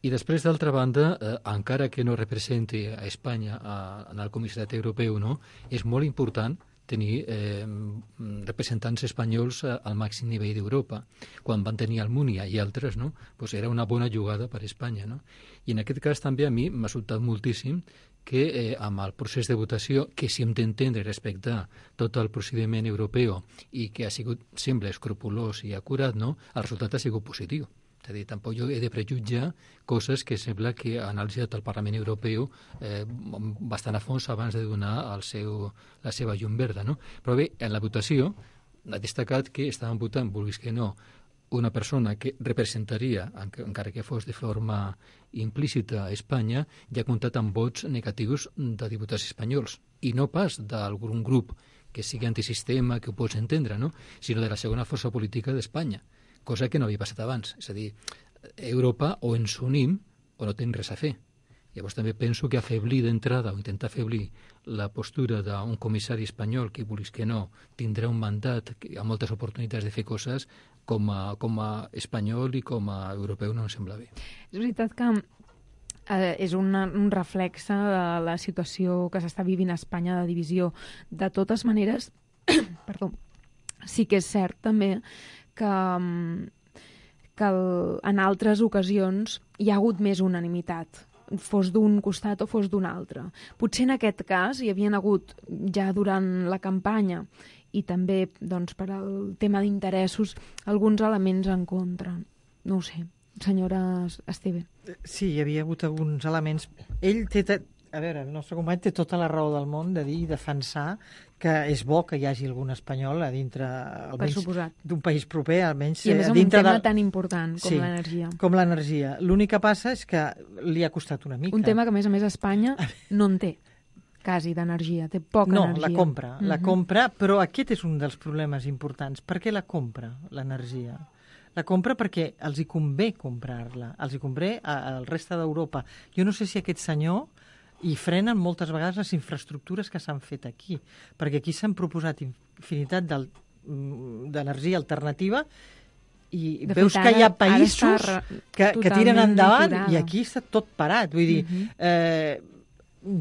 I després, d'altra banda, eh, encara que no representi a Espanya a, en el comissariat europeu, no? És molt important tenir eh, representants espanyols al màxim nivell d'Europa. Quan van tenir Almunia i altres, no? Pues era una bona jugada per a Espanya, no? I en aquest cas també a mi m'ha sobtat moltíssim que eh, amb el procés de votació, que si hem d'entendre i respectar tot el procediment europeu i que ha sigut sempre escrupolós i acurat, no? El resultat ha sigut positiu. És a dir, tampoc jo he de prejutjar coses que sembla que ha analitzat el Parlament Europeu eh, bastant a fons abans de donar el seu, la seva llum verda, no? Però bé, en la votació ha destacat que estaven votant, vulguis que no, una persona que representaria, encara que fos de forma implícita a Espanya, ja ha comptat amb vots negatius de diputats espanyols, i no pas d'algun grup que sigui antisistema, que ho pots entendre, no? Sinó de la segona força política d'Espanya, cosa que no havia passat abans. És a dir, Europa o ens unim o no tenim res a fer. Llavors també penso que afeblir d'entrada o intentar afeblir la postura d'un comissari espanyol que, vulguis que no, tindrà un mandat amb moltes oportunitats de fer coses, com a, com a espanyol i com a europeu no em sembla bé. És veritat que eh, és una, un reflexe de la situació que s'està vivint a Espanya de divisió. De totes maneres, perdó, sí que és cert també que, que el, en altres ocasions hi ha hagut més unanimitat, fos d'un costat o fos d'un altre. Potser en aquest cas hi havien hagut ja durant la campanya i també doncs, per al tema d'interessos alguns elements en contra. No ho sé, senyora Esteve. Sí, hi havia hagut alguns elements. Ell té... A veure, el nostre company té tota la raó del món de dir i defensar que és bo que hi hagi algun espanyol a dintre, almenys d'un país proper, almenys I a més a un dintre tema de... tan important com sí, l'energia. com l'energia. L'únic que passa és que li ha costat una mica. Un tema que, a més a més, Espanya no en té, quasi, d'energia. Té poca no, energia. No, la compra, uh-huh. la compra, però aquest és un dels problemes importants. Per què la compra, l'energia? La compra perquè els hi convé comprar-la, els hi convé al resta d'Europa. Jo no sé si aquest senyor i frenen moltes vegades les infraestructures que s'han fet aquí, perquè aquí s'han proposat infinitat d'energia alternativa i de veus fet, ara, que hi ha països que, que tiren endavant aturada. I aquí està tot parat. Vull dir, uh-huh. eh,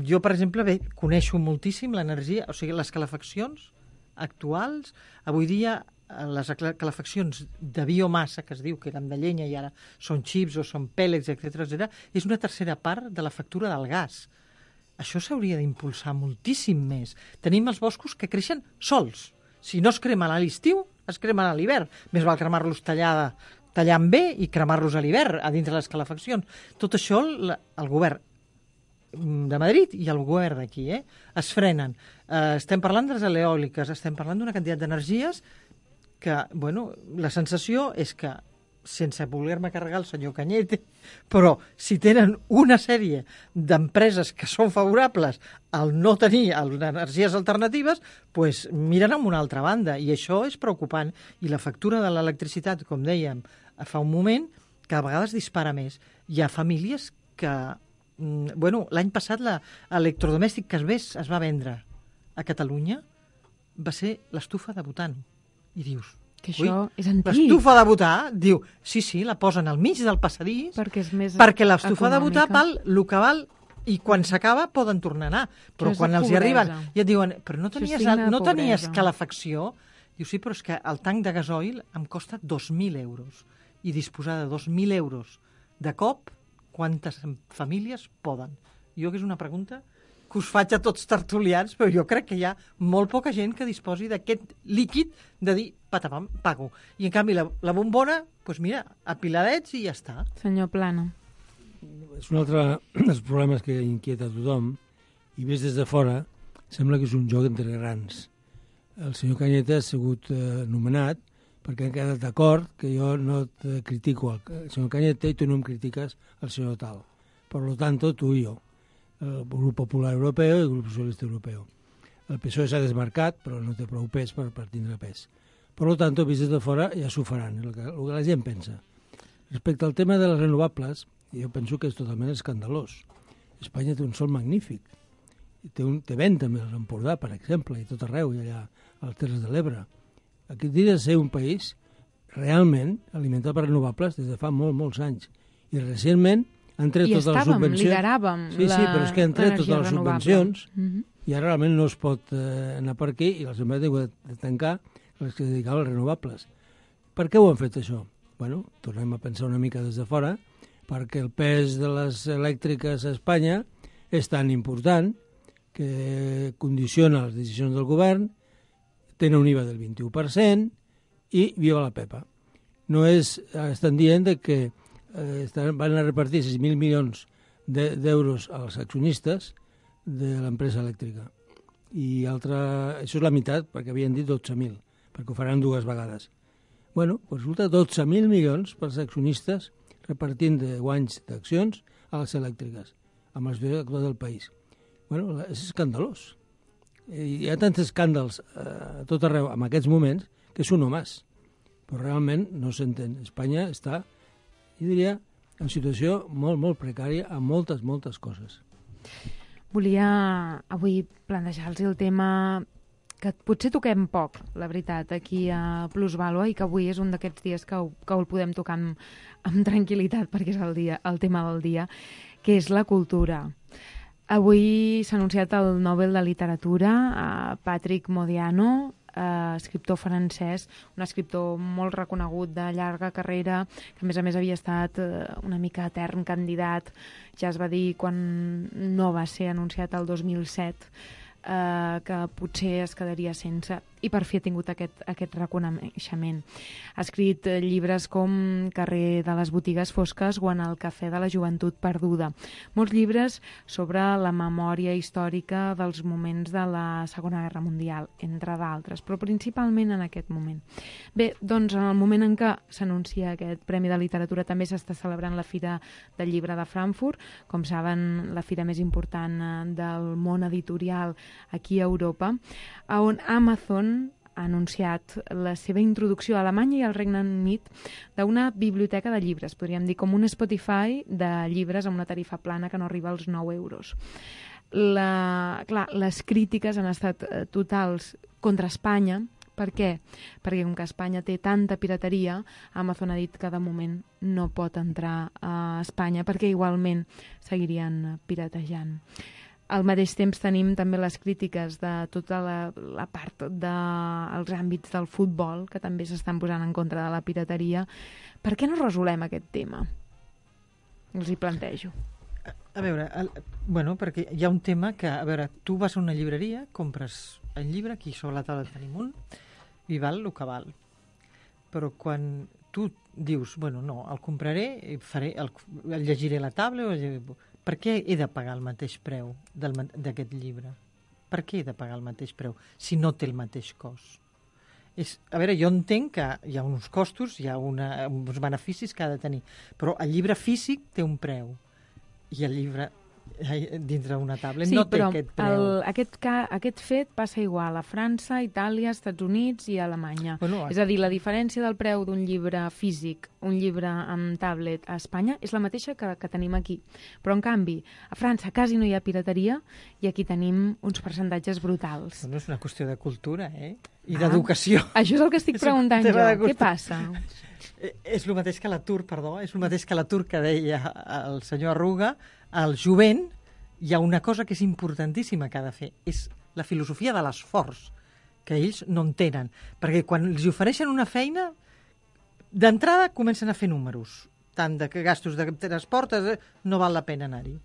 jo, per exemple, bé, coneixo moltíssim l'energia, o sigui, les calefaccions actuals, avui dia les calefaccions de biomassa, que es diu que eren de llenya i ara són xips o són pèl·lets, etcètera, etcètera, és una tercera part de la factura del gas. Això s'hauria d'impulsar moltíssim més. Tenim els boscos que creixen sols. Si no es cremen a l'estiu, es cremen a l'hivern. Més val cremar-los tallada, tallant bé i cremar-los a l'hivern, a dintre les calefaccions. Tot això el, el govern de Madrid i el govern d'aquí eh, es frenen. Eh, estem parlant de les eòliques, estem parlant d'una quantitat d'energies que, bueno, la sensació és que, sense voler-me carregar el senyor Cañete, però si tenen una sèrie d'empreses que són favorables al no tenir energies alternatives, pues miren amb una altra banda, i això és preocupant. I la factura de l'electricitat, com dèiem fa un moment, cada vegada es dispara més. Hi ha famílies que... Bueno, l'any passat l'electrodomèstic que es, ves, es va vendre a Catalunya va ser l'estufa de butano. I dius... Que això Ui, és antic. L'estufa de butà, diu, sí, sí, la posen al mig del passadís, perquè, és més perquè l'estufa de butà econòmica. val el que val, i quan s'acaba poden tornar a anar. Però quan els hi arriben i et diuen, però no tenies, no tenies calefacció, diu, sí, però és que el tanc de gasoil em costa dos mil euros. i disposar de dos mil euros de cop, quantes famílies poden? Jo que és una pregunta que us faig a tots tertulians, però jo crec que hi ha molt poca gent que disposi d'aquest líquid de dir, patapam, pago. I en canvi la, la bombona, doncs mira, apiladets i ja està. Senyor Plana. És un altre dels problemes que inquieta a tothom, i vist des de fora, sembla que és un joc entre grans. El senyor Cañete ha sigut eh, nomenat perquè han quedat d'acord que jo no et critico el senyor Cañete i tu no em critiques el senyor Tal. Per lo tanto, tu i jo, el Grup Popular Europeu i el Grup Socialista Europeu. El P S O E s'ha desmarcat, però no té prou pes per, per tindre pes. Per lo tanto, vist des de fora, ja s'ho faran, el que, el que la gent pensa. Respecte al tema de les renovables, jo penso que és totalment escandalós. Espanya té un sol magnífic. Té, un, té vent també a l'Empordà, per exemple, i tot arreu, i allà a les Terres de l'Ebre. Aquí hauria de ser un país realment alimentat per renovables des de fa molt, molts anys. I recentment han tret I totes les estàvem, subvencions. lideràvem sí, sí, però és que han tret totes les renovable. subvencions Mm -hmm. i ara realment no es pot eh, anar per aquí i les empreses han de tancar les que es dedicaven als renovables. Per què ho han fet això? Bueno, tornem a pensar una mica des de fora, perquè el pes de les elèctriques a Espanya és tan important que condiciona les decisions del govern, tenen un I V A del vint-i-u per cent i viva la Pepa. No és, estan dient que eh, estan, van a repartir sis mil milions d'euros als accionistes de l'empresa elèctrica. I altra, això és la meitat, perquè havien dit dotze mil, perquè ho faran dues vegades. Bueno, doncs resulta dotze mil milions pels accionistes repartint de guanys d'accions a les elèctriques, amb la situació actual del país. Bueno, és escandalós. Hi ha tants escàndals eh, a tot arreu en aquests moments que és un nomàs, però realment no s'entén. Espanya està, jo diria, en situació molt, molt precària amb moltes, moltes coses. Volia avui plantejar-los el tema que potser toquem poc, la veritat, aquí a Plusvàlua, i que avui és un d'aquests dies que, ho, que el podem tocar amb, amb tranquil·litat, perquè és el, dia, el tema del dia, que és la cultura. Avui s'ha anunciat el Nobel de Literatura a Patrick Modiano, eh, escriptor francès, un escriptor molt reconegut de llarga carrera, que a més a més havia estat eh, una mica etern candidat, ja es va dir quan no va ser anunciat el dos mil set, eh, que potser es quedaria sense, i per fi ha tingut aquest, aquest reconeixement. Ha escrit eh, llibres com Carrer de les botigues fosques o En el cafè de la joventut perduda. Molts llibres sobre la memòria històrica dels moments de la Segona Guerra Mundial, entre d'altres, però principalment en aquest moment. Bé, doncs en el moment en què s'anuncia aquest Premi de Literatura també s'està celebrant la Fira del Llibre de Frankfurt, com saben, la fira més important eh, del món editorial aquí a Europa, on Amazon ha anunciat la seva introducció a Alemanya i al Regne Unit d'una biblioteca de llibres, podríem dir com un Spotify de llibres amb una tarifa plana que no arriba als nou euros. La, clar, les crítiques han estat eh, totals contra Espanya. Per què? Perquè com que Espanya té tanta pirateria, Amazon ha dit que de moment no pot entrar a Espanya perquè igualment seguirien piratejant. Al mateix temps tenim també les crítiques de tota la, la part dels de, àmbits del futbol, que també s'estan posant en contra de la pirateria. Per què no resolem aquest tema? Els hi plantejo. A, a veure, el, bueno, perquè hi ha un tema que, a veure, tu vas a una llibreria, compres el llibre, aquí sobre la taula tenim un, i val el que val. Però quan tu dius, bueno, no, el compraré, faré, el, el llegiré a la taula, o el, per què he de pagar el mateix preu d'aquest llibre? Per què he de pagar el mateix preu si no té el mateix cost? És, a veure, jo entenc que hi ha uns costos, hi ha una, uns beneficis que ha de tenir, però el llibre físic té un preu i el llibre dintre una tablet sí, no té però aquest preu. El, aquest, aquest fet passa igual a França, Itàlia, Estats Units i Alemanya. Bueno, és a dir, la diferència del preu d'un llibre físic, un llibre amb tablet a Espanya, és la mateixa que, que tenim aquí. Però, en canvi, a França quasi no hi ha pirateria i aquí tenim uns percentatges brutals. No és una qüestió de cultura, eh? I ah, d'educació. Això és el que estic és preguntant jo. Què passa? És el mateix que l'atur, perdó, és el mateix que l'atur que deia el senyor Arruga. Al jovent hi ha una cosa que és importantíssima que ha de fer, és la filosofia de l'esforç, que ells no en tenen. Perquè quan els ofereixen una feina, d'entrada comencen a fer números, tant de que gastos de transport, eh, no val la pena anar-hi.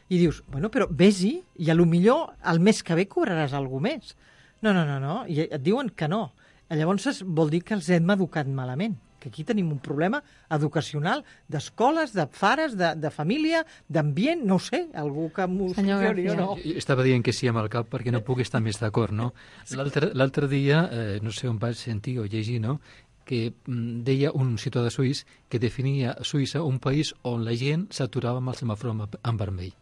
I dius, bueno, però vés-hi i a lo millor el mes que ve cobraràs alguna més. No, no, no, no, i et diuen que no. Llavors vol dir que els hem educat malament, que aquí tenim un problema educacional d'escoles, de pares, de, de família, d'ambient, no ho sé, algú que m'ho sugeri o no. Estava dient que sí amb el cap perquè no puc estar més d'acord, no? L'altre dia, eh, no sé on vaig sentir o llegir, no?, que mm, deia un ciutadà suís que definia Suïssa un país on la gent s'aturava amb el semàfor en, en vermell.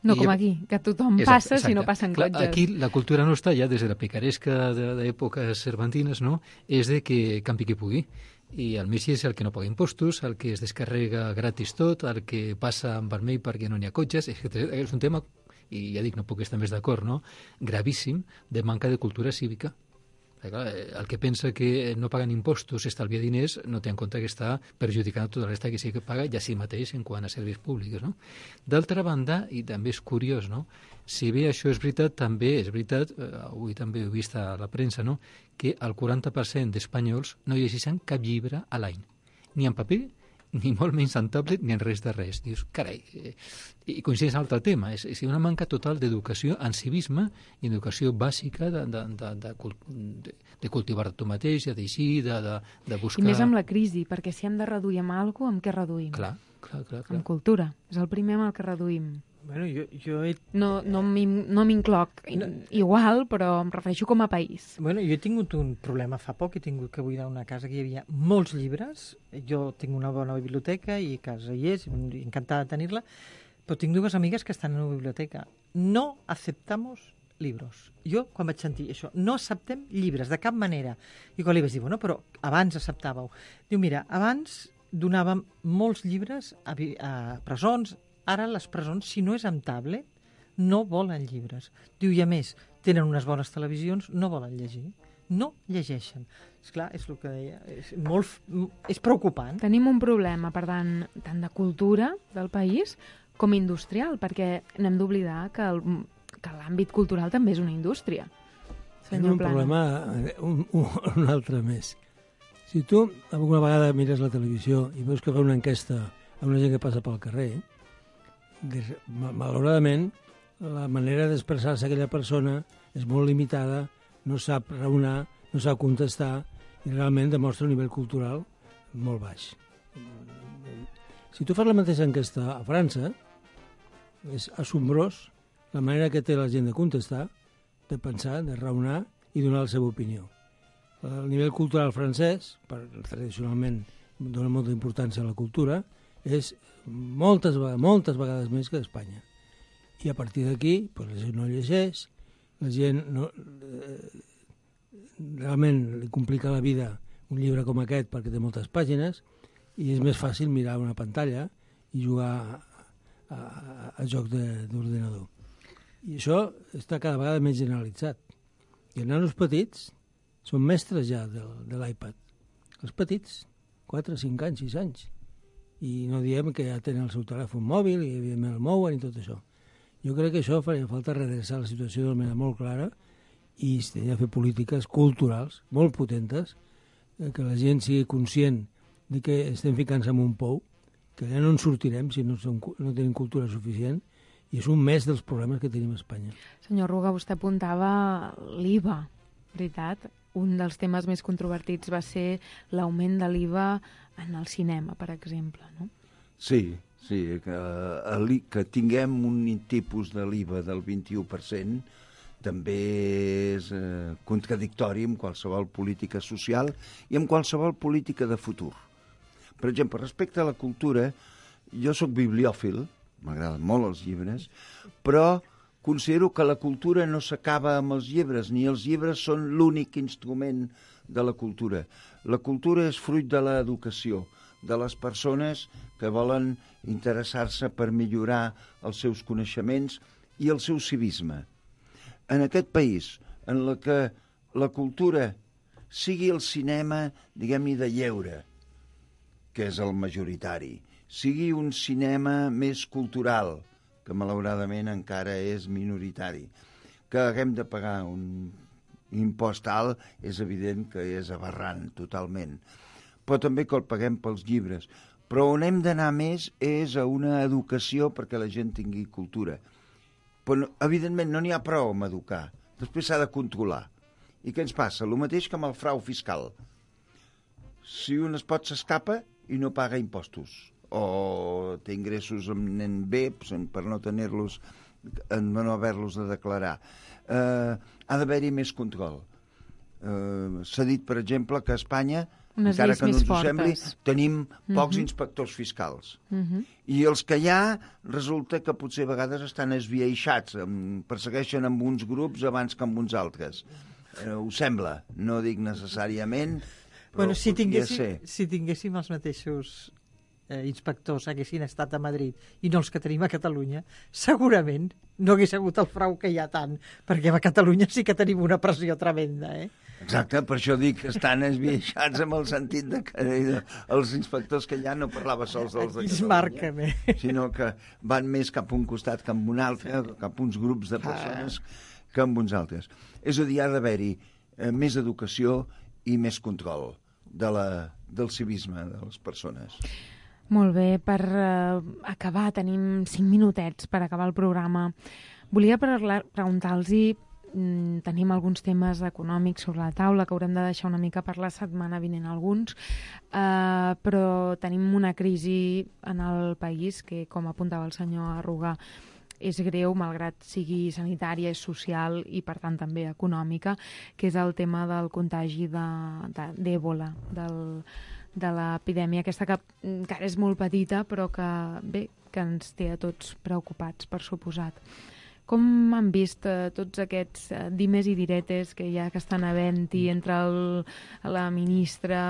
No com aquí, que tothom exacte, passa exacte. Si no passen cotxes. Clar, aquí la cultura nostra, ja des de la picaresca d'èpoques cervantines, no?, és de que campi qui pugui. I el més és el que no paga impostos, el que es descarrega gratis tot, el que passa en vermell perquè no n'hi ha cotxes. És un tema, i ja dic, no puc estar més d'acord, no?, gravíssim de manca de cultura cívica. El que pensa que no paguen impostos, estalvia diners, no té en compte que està perjudicant tota la resta que sí que paga ja si mateix en quant a serveis públics, no? D'altra banda, i també és curiós, no?, si bé això és veritat, també és veritat, eh, avui també ho he vist a la premsa, no?, que el quaranta per cent d'espanyols no llegeixen cap llibre a l'any, ni en paper, ni molt menys en tablet, ni en res de res. Dius, carai, eh, i coincideix en l'altre tema, és, és una manca total d'educació en civisme i educació bàsica de, de, de, de, de, de cultivar tu mateix, de deixir, de, de, de buscar... I més amb la crisi, perquè si hem de reduir amb alguna cosa, amb què reduïm? Clar, clar, clar. clar. Amb cultura. És el primer amb el que reduïm. Bueno, jo, jo he... No, no m'incloc no. igual, però em refereixo com a país. Bueno, jo he tingut un problema fa poc, he tingut que buidar una casa que hi havia molts llibres, jo tinc una bona biblioteca i a casa hi és, encantada de tenir-la, però tinc dues amigues que estan en una biblioteca. No aceptamos libros. Jo, quan vaig sentir això, no acceptem llibres, de cap manera. I quan li vaig dir, bueno, però abans acceptàveu. Diu, mira, abans donàvem molts llibres a, a presons. Ara les presons, si no és amb tablet, no volen llibres. Diu, i a més, tenen unes bones televisions, no volen llegir. No llegeixen. Esclar, és el que deia, és, molt, és preocupant. Tenim un problema, per tant, tant de cultura del país com industrial, perquè n'hem d'oblidar que, el, que l'àmbit cultural també és una indústria. Tenim un Plana. problema, un, un, un altre més. Si tu alguna vegada mires la televisió i veus que fa una enquesta a una gent que passa pel carrer, malauradament, la manera d'expressar-se aquella persona és molt limitada, no sap raonar, no sap contestar i realment demostra un nivell cultural molt baix. Si tu fas la mateixa enquesta a França, és assombrós la manera que té la gent de contestar, de pensar, de raonar i donar la seva opinió. El nivell cultural francès, per, tradicionalment dona molta importància a la cultura, és moltes, moltes vegades més que d'Espanya. I a partir d'aquí, pues, la gent no llegeix, la gent no, eh, realment li complica la vida un llibre com aquest perquè té moltes pàgines i és més fàcil mirar una pantalla i jugar a, a, a jocs d'ordinador. I això està cada vegada més generalitzat. I els nanos petits són mestres ja de, de l'iPad. Els petits, quatre, cinc anys, sis anys. I no diem que ja tenen el seu telèfon mòbil i evidentment el mouen i tot això. Jo crec que això faria falta redreçar la situació d'una manera molt clara i s'hauria de fer polítiques culturals molt potentes, que la gent sigui conscient de que estem ficant-se en un pou, que ja no en sortirem si no, som, no tenim cultura suficient, i és un més dels problemes que tenim a Espanya. Senyor Ruga, vostè apuntava l'I V A, veritat? Un dels temes més controvertits va ser l'augment de l'I V A en el cinema, per exemple, no? Sí, sí, que, que tinguem un tipus de l'I V A del vint-i-u per cent també és eh, contradictori amb qualsevol política social i amb qualsevol política de futur. Per exemple, respecte a la cultura, jo sóc bibliòfil, m'agraden molt els llibres, però considero que la cultura no s'acaba amb els llibres, ni els llibres són l'únic instrument de la cultura. La cultura és fruit de l'educació, de les persones que volen interessar-se per millorar els seus coneixements i el seu civisme. En aquest país, en la que la cultura sigui el cinema, diguem-ne, de lleure, que és el majoritari, sigui un cinema més cultural, que malauradament encara és minoritari, que haguem de pagar un impost alt, és evident que és aberrant totalment. però també que el paguem pels llibres. Però on hem d'anar més és a una educació perquè la gent tingui cultura. Però, no, evidentment, no n'hi ha prou amb educar. Després s'ha de controlar. I què ens passa? El mateix que amb el frau fiscal. Si un es pot s'escapa i no paga impostos, o té ingressos en bé per no tenir-los, no haver-los de declarar, eh, ha d'haver-hi més control. Eh, s'ha dit, per exemple, que a Espanya, unes encara que no ens ho fortes. sembli, tenim pocs uh-huh. inspectors fiscals. Uh-huh. I els que hi ha, resulta que potser a vegades estan esbiaixats, persegueixen amb uns grups abans que amb uns altres. Eh, ho sembla, no dic necessàriament, però bueno, si tinguéssim, ser. si tinguéssim els mateixos eh, inspectors haguessin estat a Madrid i no els que tenim a Catalunya, segurament no hagués hagut el frau que hi ha tant, perquè a Catalunya sí que tenim una pressió tremenda, eh? Exacte, per això dic que estan esbiaixats amb el sentit de que els inspectors que hi ha no parlava sols dels de Catalunya, sinó que van més cap a un costat que a un altre, cap a uns grups de persones que amb uns altres. És a dir, ha d'haver-hi eh, més educació i més control de la, del civisme de les persones. Molt bé, per uh, acabar, tenim cinc minutets per acabar el programa. Volia preguntar-los-hi, mm, tenim alguns temes econòmics sobre la taula que haurem de deixar una mica per la setmana vinent alguns, uh, però tenim una crisi en el país que, com apuntava el senyor Arruga, és greu, malgrat sigui sanitària, és social i, per tant, també econòmica, que és el tema del contagi d'Èbola, de, de l'epidèmia aquesta que encara és molt petita, però que, bé, que ens té a tots preocupats, per suposat. Com han vist eh, tots aquests eh, dimes i diretes que hi ha que estan havent-hi entre el, la ministra,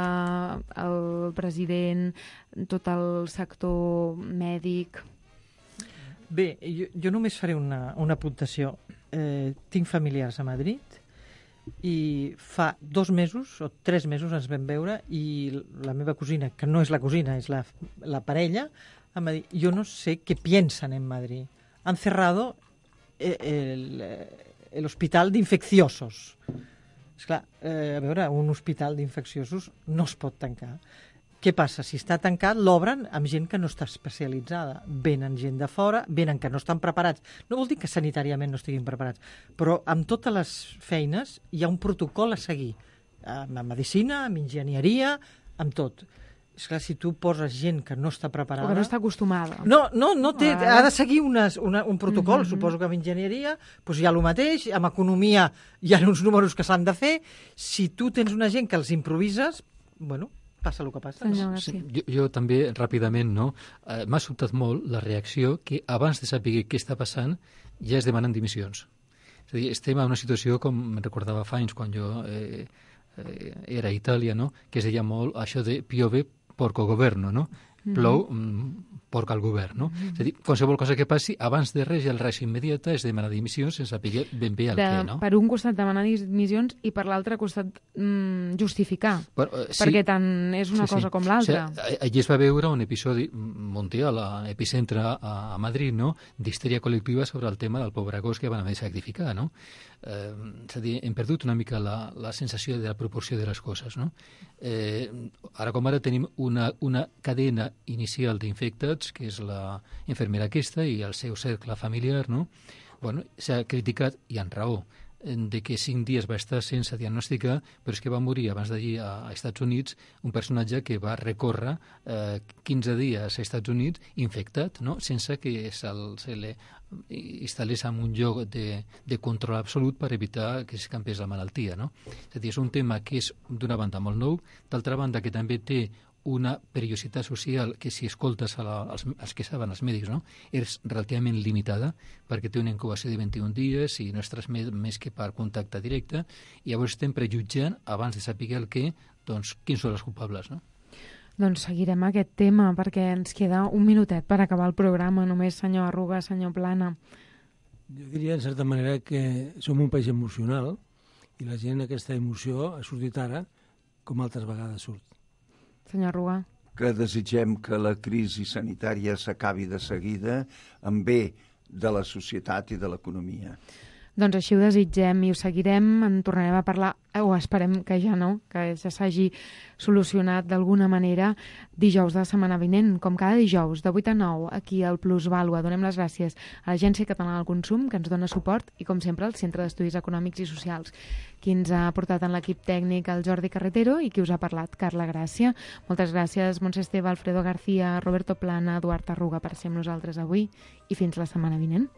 el president, tot el sector mèdic? Bé, jo, jo només faré una, una apuntació. Eh, tinc familiars a Madrid i fa dos mesos o tres mesos ens vam veure i la meva cosina, que no és la cosina, és la, la parella, em va dir, jo no sé què piensan en Madrid. Han cerrado el, el hospital d'infecciosos. Esclar, eh, a veure, un hospital d'infecciosos no es pot tancar. Què passa? Si està tancat, l'obren amb gent que no està especialitzada. Venen gent de fora, venen que no estan preparats. No vol dir que sanitàriament no estiguin preparats, però amb totes les feines hi ha un protocol a seguir. Amb medicina, amb enginyeria, amb tot. Esclar, si tu poses gent que no està preparada... O que no està acostumada. No, no, no té, ah. ha de seguir unes, una, un protocol. Mm-hmm. Suposo que amb enginyeria doncs hi ha el mateix, amb economia hi ha uns números que s'han de fer. Si tu tens una gent que els improvises, bueno... passa el que passa. Senyor, sí, jo, jo també, ràpidament, no? Eh, m'ha sobtat molt la reacció que abans de saber què està passant ja es demanen dimissions. És a dir, estem en una situació, com me'n recordava fa anys, quan jo eh, eh, era a Itàlia, no? Que es deia molt això de piove porco governo, no? Plou, mm, porca al govern, no? Mm-hmm. És a dir, qualsevol cosa que passi, abans de res, el res immediata és demanar dimissions sense saber ben bé el de, què, no? Per un costat demanar dimissions i per l'altre costat mm, justificar, Però, eh, sí, perquè tant és una sí, cosa sí. com l'altra. O sigui, allí es va veure un episodi mundial, a epicentre a, a Madrid, no?, d'histèria col·lectiva sobre el tema del pobre gos que van haver de sacrificar, no? Eh, és a dir, hem perdut una mica la, la sensació de la proporció de les coses, no? Eh, ara com ara tenim una, una cadena inicial d'infectats, que és la infermera aquesta i el seu cercle familiar, no? Bueno, s'ha criticat, i amb raó, de que cinc dies va estar sense diagnosticar, però és que va morir abans d'allí a Estats Units un personatge que va recórrer eh, quinze dies als Estats Units infectat, no?, sense que se'l, se li instal·lés en un lloc de, de control absolut per evitar que s'escampés la malaltia, no? És a dir, és un tema que és d'una banda molt nou, d'altra banda que també té una perillositat social que, si escoltes a la, als, als que saben, els mèdics, no?, és relativament limitada, perquè té una incubació de vint-i-un dies i no es transmet més que per contacte directe, i llavors estem prejutjant, abans de saber el què, doncs, quins són els culpables, no? Doncs seguirem aquest tema, perquè ens queda un minutet per acabar el programa, només, senyor Arruga, senyor Plana. Jo diria, en certa manera, que som un país emocional i la gent aquesta emoció ha sortit ara com altres vegades surt. Senyor Arruga. Que desitgem que la crisi sanitària s'acabi de seguida en bé de la societat i de l'economia. Doncs així ho desitgem i ho seguirem, en tornarem a parlar, o esperem que ja no, que ja s'hagi solucionat d'alguna manera dijous de la setmana vinent, com cada dijous, de vuit a nou, aquí al Plus Vàlua. Donem les gràcies a l'Agència Catalana del Consum, que ens dona suport, i com sempre al Centre d'Estudis Econòmics i Socials, qui ens ha portat en l'equip tècnic el Jordi Carretero i qui us ha parlat, Carla Gràcia. Moltes gràcies, Montse Esteve, Alfredo García, Roberto Plana, Eduard Arruga, per ser amb nosaltres avui, i fins la setmana vinent.